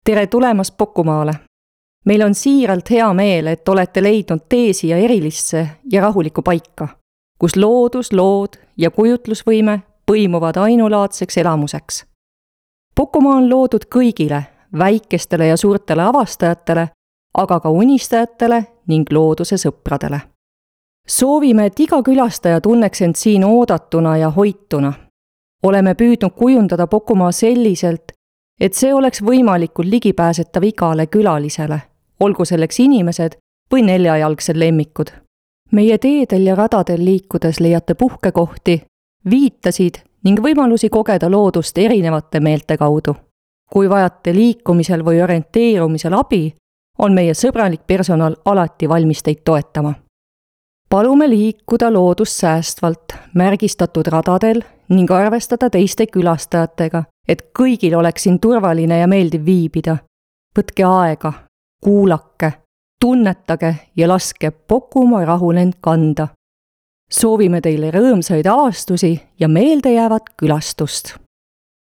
Tere tulemast Pokumaale! Meil on siiralt hea meel, et olete leidnud tee siia erilisse ja rahulikku paika, kus loodus, lood ja kujutlusvõime põimuvad ainulaadseks elamuseks. Pokumaa on loodud kõigile, väikestele ja suurtele avastajatele, aga ka unistajatele ning looduse sõpradele. Soovime, et iga külastaja tunneks end siin oodatuna ja hoituna. Oleme püüdnud kujundada Pokumaa selliselt, et see oleks võimalikult ligipääsetav igale külalisele, olgu selleks inimesed või neljajalgsed lemmikud. Meie teedel ja radadel liikudes leiate puhkekohti, viitasid ning võimalusi kogeda loodust erinevate meelte kaudu. Kui vajate liikumisel või orienteerumisel abi, on meie sõbralik personal alati valmis teid toetama. Palume liikuda loodust säästvalt, märgistatud radadel ning arvestada teiste külastajatega, et kõigil oleks siin turvaline ja meeldiv viibida. Võtke aega, kuulake, tunnetage ja laske Pokumaa rahulend kanda. Soovime teile rõõmsaid avastusi ja meeldejäävat külastust!